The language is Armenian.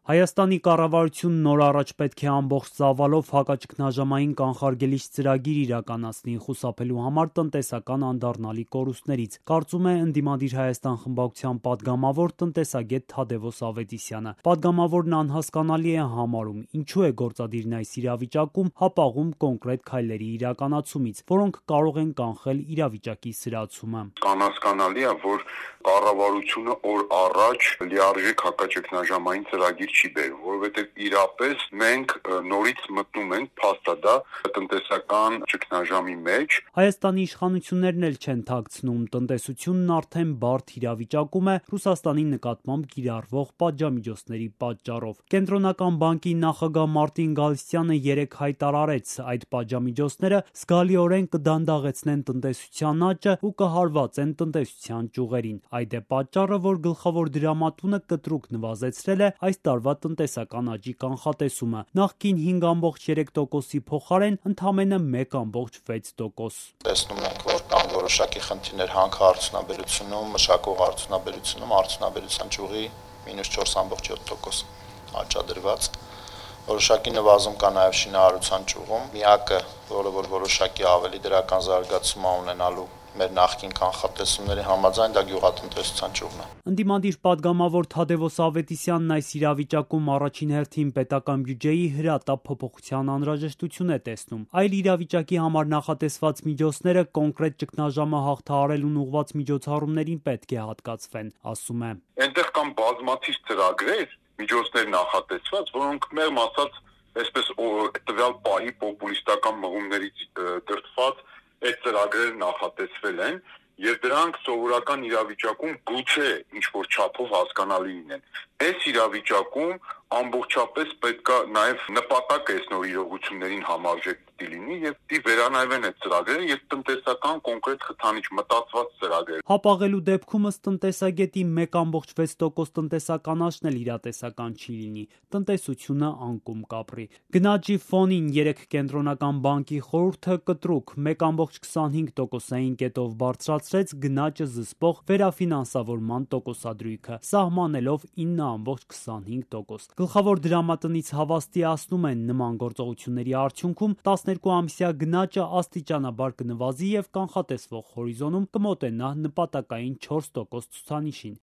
Հայաստանի կառավարությունն նոր առաջ պետք է ամբողջ ծավալով հակաճգնաժամային կանխարգելիչ ծրագիր իրականացնի՝ խուսափելու համար տնտեսական անդառնալի կորուստներից, կարծում է ընդդիմադիր Հայաստան խմբակցության պատգամավոր տնտեսագետ Թադևոս Ավետիսյանը։ Պատգամավորն անհասկանալի է համարում, ինչու է գործադիրն այս իրավիճակում հապաղում կոնկրետ քայլերի իրականացումից, որոնք կարող են կանխել իրավիճակի սրացումը։ Անհասկանալի է, որ կառավարությունը օր առաջ լիարժեք հակաճգնաժամային ծրագիր չի բերում, որովհետև իրապես մենք նորից մտնում ենք փաստադա տնտեսական ճգնաժամի մեջ։ Հայաստանի իշխանություններն էլ չեն թաքցնում, տնտեսությունն արդեն բարդ իրավիճակում է Ռուսաստանի նկատմամբ կիրառվող պատժամիջոցների պատճառով։ Կենտրոնական բանկի նախագահ Մարտին Գալստյանը երեկ հայտարարեց, այդ պատժամիջոցները զգալիորեն կդանդաղեցնեն տնտեսության աճը ու կհարվածեն տնտեսության ճյուղերին։ Այդ է պատճառը, որ գլխավոր դրամատունը կտրուկ նվազեցրել է այս տարվա տնտեսական աճի կանխատեսումը, նախկին 5,3%-ի փոխարեն ընդամենը 1,6%։ Տեսնում ենք, որ կան որոշակի խնդիրներ հանքարդյունաբերությունում, մշակող արդյունաբերությունում, արդյունաբերության ճյուղի -4,7% աճադրված։ Որոշակի նվազում կա նաև շինարարության ճյուղում։ Միակը, որը որոշակի ավելի դրական զարգացում է ունենալու մեր նախկին կանխատեսումների համաձայն, դա գյուղատնտեսության ճյուղն է։ Ընդդիմադիր պատգամավոր Թադևոս Ավետիսյանն այս իրավիճակում առաջին հերթին պետական բյուջեի հրատապ փոփոխության անհրաժեշտություն է տեսնում։ Այլ իրավիճակի համար նախատեսված միջոցները կոնկրետ ճգնաժամը հաղթահարելուն ուղղված միջոցառումներին պետք է հատկացվեն, ասում է։ Այնտեղ կան բազմաթիվ ծրագրեր, միջոցներ նախատեսված, որոնք մեղմ ասած այսպես տվյալ պահի պոպուլիստական մղումներից դրդված այդ ծրագրերը նախատեսվել են եւ դրանք սովորական իրավիճակում գուցե ինչ-որ չափով հասկանալի լինեն։ Այս իրավիճակում ամբողջապես պետքա նաեւ նպատակ այս նոր իրողություններին համարժեք լինի եւ վերանայվեն այդ ծրագրերը եւ տնտեսական կոնկրետ խթանիչ մտածված ծրագրեր։ Հապաղելու դեպքում ըստ տնտեսագետի 1,6% տնտեսական աճն էլ իրատեսական չի լինի, տնտեսությունը անկում կապրի։ Գնաճի ֆոնին երեք կենտրոնական բանկի խորհուրդը կտրուկ 1,25%-ային կետով բարձրացրեց գնաճը զսպող վերաֆինանսավորման տոկոսադրույքը, սահմանելով 9,25%։ Գլխավոր դրամատնից հավաստիացնում են, նման գործողությունների արդյունքում 12-ամսյա գնաճը աստիճանաբար կնվազի եւ կանխատեսվող հորիզոնում կմոտենա նպատակային 4% ցուցանիշին։